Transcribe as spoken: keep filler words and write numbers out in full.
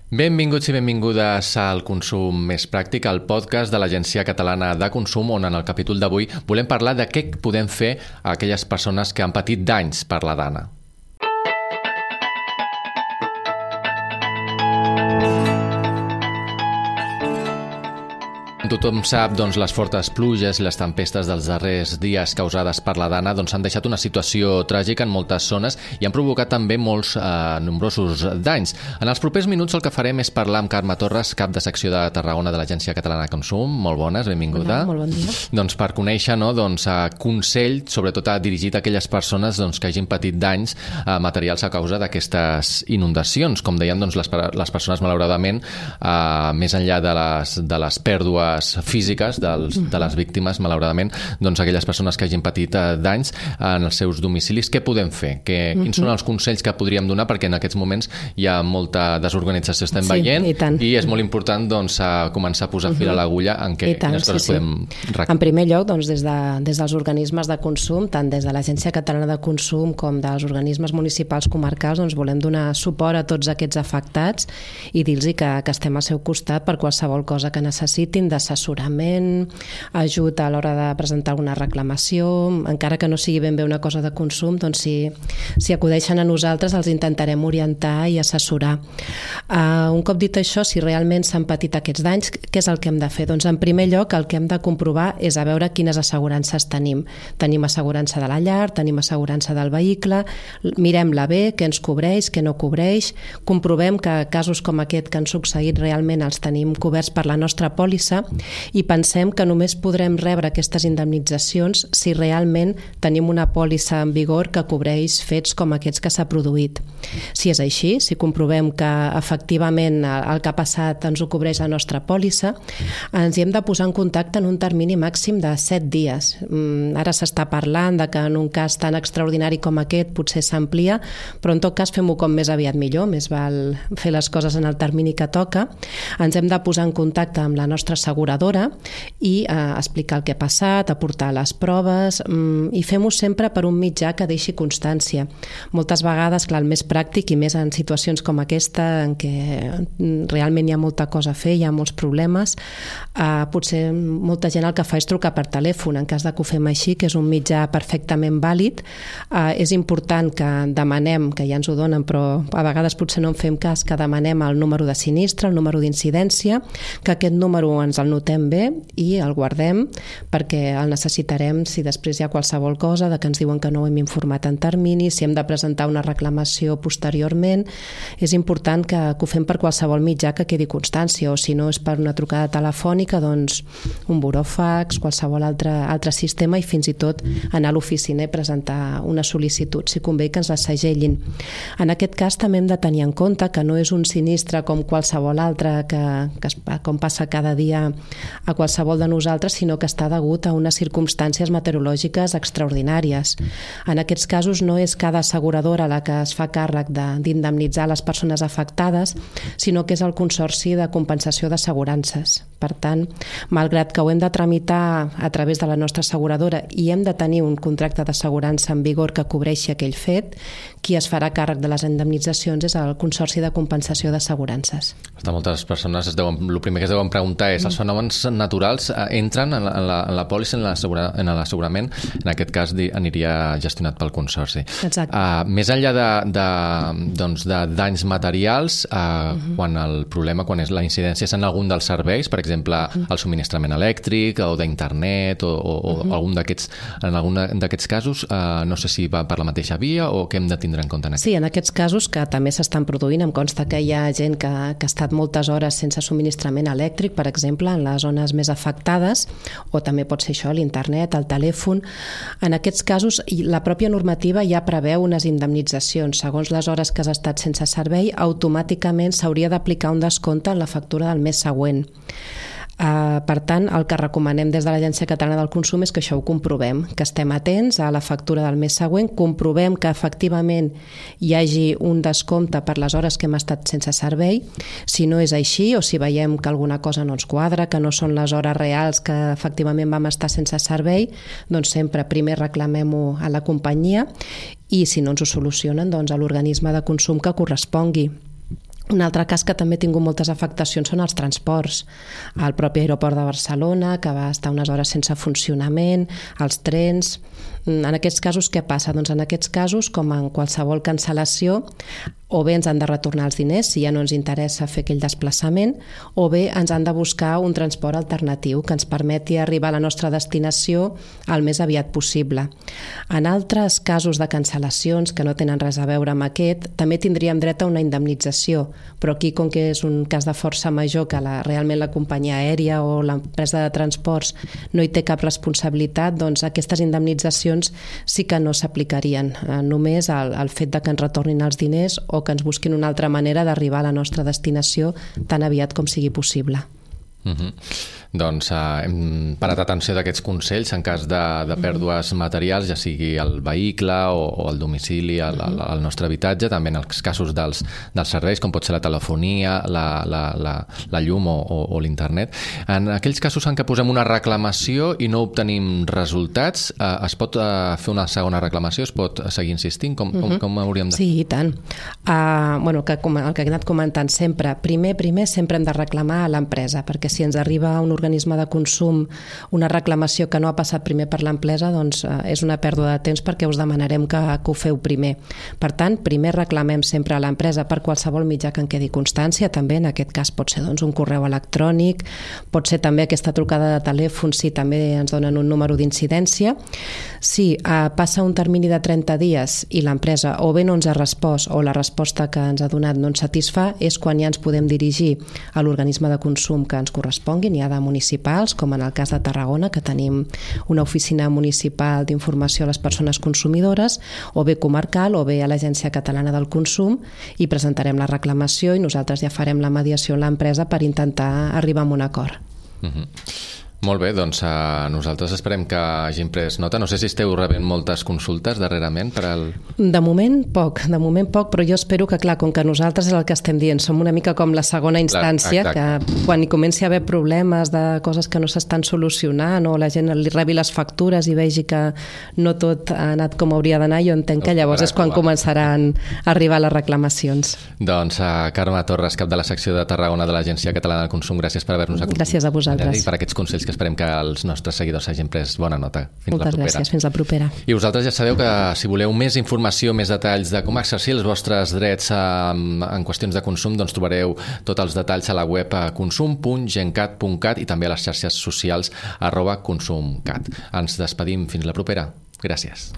Benvinguts i benvingudes al Consum Més Pràctic, el podcast de l'Agència Catalana de Consum, on en el capítol d'avui volem parlar de què podem fer a aquelles persones que han patit danys per la dana. Tothom sap doncs, les fortes pluges i les tempestes dels darrers dies causades per la dana doncs, han deixat una situació tràgica en moltes zones i han provocat també molts eh, nombrosos danys. En els propers minuts el que farem és parlar amb Carme Torres, cap de secció de Tarragona de l'Agència Catalana de Consum. Molt bones, benvinguda. Hola, molt bon dia. Doncs per conèixer, no, doncs, eh, consell, sobretot dirigit a aquelles persones doncs, que hagin patit danys eh, materials a causa d'aquestes inundacions. Com deien, doncs, les, les persones, malauradament, eh, més enllà de les, de les pèrdues físiques dels, de les víctimes, malauradament, doncs aquelles persones que hagin patit eh, danys en els seus domicilis, què podem fer? Que, uh-huh. Quins són els consells que podríem donar? Perquè en aquests moments hi ha molta desorganització, estem sí, veient, i, i és molt important doncs, a començar a posar uh-huh. fil a l'agulla en què tant, quines coses sí, podem sí. En primer lloc, doncs, des, de, des dels organismes de consum, tant des de l'Agència Catalana de Consum com dels organismes municipals comarcals, doncs, volem donar suport a tots aquests afectats i dir-los que, que estem al seu costat per qualsevol cosa que necessitin, d'assessorament, ajut a l'hora de presentar alguna reclamació, encara que no sigui ben bé una cosa de consum, doncs si, si acudeixen a nosaltres els intentarem orientar i assessorar. Uh, un cop dit això, si realment s'han patit aquests danys, què és el que hem de fer? Doncs en primer lloc el que hem de comprovar és a veure quines assegurances tenim. Tenim assegurança de la llar, tenim assegurança del vehicle, mirem-la bé, què ens cobreix, què no cobreix, comprovem que casos com aquest que han succeït realment els tenim coberts per la nostra pòlissa i pensem que només podrem rebre aquestes indemnitzacions si realment tenim una pòlissa en vigor que cobreix fets com aquests que s'ha produït. Si és així, si comprovem que efectivament el que ha passat ens ho cobreix la nostra pòlissa, ens hi hem de posar en contacte en un termini màxim de set dies. Ara s'està parlant de que en un cas tan extraordinari com aquest potser s'amplia, però en tot cas fem-ho com més aviat millor, més val fer les coses en el termini que toca. Ens hem de posar en contacte amb la nostra asseguradora i eh, explicar el que ha passat, aportar les proves mm, i fem-ho sempre per un mitjà que deixi constància. Moltes vegades, clar, el més pràctic i més en situacions com aquesta en què realment hi ha molta cosa a fer, hi ha molts problemes, eh, potser molta gent el que fa és trucar per telèfon. En cas de que ho fem així, que és un mitjà perfectament vàlid, eh, és important que demanem, que ja ens ho donen, però a vegades potser no en fem cas, que demanem el número de sinistre, el número d'incidència, que aquest número ens el notem bé i el guardem perquè el necessitarem si després hi ha qualsevol cosa de que ens diuen que no ho hem informat en termini, si hem de presentar una reclamació posteriorment. És important que, que ho fem per qualsevol mitjà que quedi constància, o si no és per una trucada telefònica, doncs un buròfax, qualsevol altre, altre sistema, i fins i tot anar a l'oficina i presentar una sol·licitud, si convé que ens la segellin. En aquest cas també hem de tenir en compte que no és un sinistre com qualsevol altre que, que com passa cada dia a qualsevol de nosaltres, sinó que està degut a unes circumstàncies meteorològiques extraordinàries. En aquests casos no és cada asseguradora la que es fa càrrec d'indemnitzar les persones afectades, sinó que és el Consorci de Compensació d'Assegurances. Per tant, malgrat que ho hem de tramitar a través de la nostra asseguradora i hem de tenir un contracte d'assegurança en vigor que cobreixi aquell fet, qui es farà càrrec de les indemnitzacions és el Consorci de Compensació d'Assegurances. Moltes persones es deuen, el primer que es deuen preguntar és, els fenòmens naturals entren en la, en la, en la pòlissa, en l'assegurament? En aquest cas aniria gestionat pel Consorci. Exacte. Uh, més enllà de, de, doncs, de danys materials, uh, uh-huh. quan el problema, quan és la incidència és en algun dels serveis, per exemple, uh-huh. el subministrament elèctric o d'internet o, o, uh-huh. o algun d'aquests, en algun d'aquests casos, uh, no sé si va per la mateixa via o què hem de tindre en compte en aquest? Sí, en aquests casos que també s'estan produint, em consta que hi ha gent que, que ha estat moltes hores sense subministrament elèctric, per exemple, en les zones més afectades, o també pot ser això, l'internet, el telèfon. En aquests casos, la pròpia normativa ja preveu unes indemnitzacions. Segons les hores que has estat sense servei, automàticament s'hauria d'aplicar un descompte en la factura del mes següent. Uh, per tant, el que recomanem des de l'Agència Catalana del Consum és que això ho comprovem, que estem atents a la factura del mes següent, comprovem que efectivament hi hagi un descompte per les hores que hem estat sense servei. Si no és així, o si veiem que alguna cosa no ens quadra, que no són les hores reals que efectivament vam estar sense servei, doncs sempre primer reclamem-ho a la companyia i si no ens ho solucionen, doncs a l'organisme de consum que correspongui. Un altre cas que també ha tingut moltes afectacions són els transports. El propi aeroport de Barcelona, que va estar unes hores sense funcionament, els trens. En aquests casos, què passa? Doncs en aquests casos, com en qualsevol cancel·lació, o bé ens han de retornar els diners si ja no ens interessa fer aquell desplaçament, o bé ens han de buscar un transport alternatiu que ens permeti arribar a la nostra destinació el més aviat possible. En altres casos de cancel·lacions que no tenen res a veure amb aquest, també tindríem dret a una indemnització, però aquí, com que és un cas de força major que la, realment la companyia aèria o l'empresa de transports no hi té cap responsabilitat, doncs aquestes indemnitzacions sí que no s'aplicarien. Eh, només el, el fet de que ens retornin els diners o que ens busquin una altra manera d'arribar a la nostra destinació tan aviat com sigui possible. Uh-huh. Doncs uh, hem parat atenció d'aquests consells en cas de, de pèrdues materials, ja sigui el vehicle o, o el domicili, el, el, el nostre habitatge, també en els casos dels, dels serveis, com pot ser la telefonia, la, la, la, la llum o, o, o l'internet. En aquells casos en què posem una reclamació i no obtenim resultats, uh, es pot uh, fer una segona reclamació? Es pot seguir insistint? Com, com, com hauríem de... Sí, i tant. Uh, bueno, que, el que he anat comentant sempre, primer, primer sempre hem de reclamar a l'empresa, perquè si ens arriba a un organisme de consum una reclamació que no ha passat primer per l'empresa, doncs eh, és una pèrdua de temps perquè us demanarem que, que ho feu primer. Per tant, primer reclamem sempre a l'empresa per qualsevol mitjà que en quedi constància, també en aquest cas pot ser doncs, un correu electrònic, pot ser també aquesta trucada de telèfon si també ens donen un número d'incidència. Si eh, passa un termini de trenta dies i l'empresa o bé no ens ha respost o la resposta que ens ha donat no ens satisfà, és quan ja ens podem dirigir a l'organisme de consum que ens corresponguin, hi ha de municipals, com en el cas de Tarragona, que tenim una oficina municipal d'informació a les persones consumidores, o bé comarcal, o bé a l'Agència Catalana del Consum, i presentarem la reclamació i nosaltres ja farem la mediació amb l'empresa per intentar arribar a un acord. Uh-huh. Molt bé, doncs uh, nosaltres esperem que hagin pres nota. No sé si esteu rebent moltes consultes darrerament per al... De moment poc, de moment poc, però jo espero que, clar, com que nosaltres és el que estem dient, som una mica com la segona instància, clar, que quan hi comenci a haver problemes de coses que no s'estan solucionant o la gent li rebi les factures i vegi que no tot ha anat com hauria d'anar, jo entenc que llavors és quan començaran a arribar les reclamacions. Doncs uh, Carme Torres, cap de la secció de Tarragona de l'Agència Catalana del Consum, gràcies per haver-nos acompanyat. Gràcies a vosaltres. I per aquests consells que esperem que els nostres seguidors hagin pres bona nota. Fins Moltes la propera. gràcies, fins la propera. I vosaltres ja sabeu que si voleu més informació, més detalls de com exercir els vostres drets en, en qüestions de consum, doncs trobareu tots els detalls a la web consum punt gencat punt cat i també a les xarxes socials arroba consumcat. Ens despedim fins la propera. Gràcies.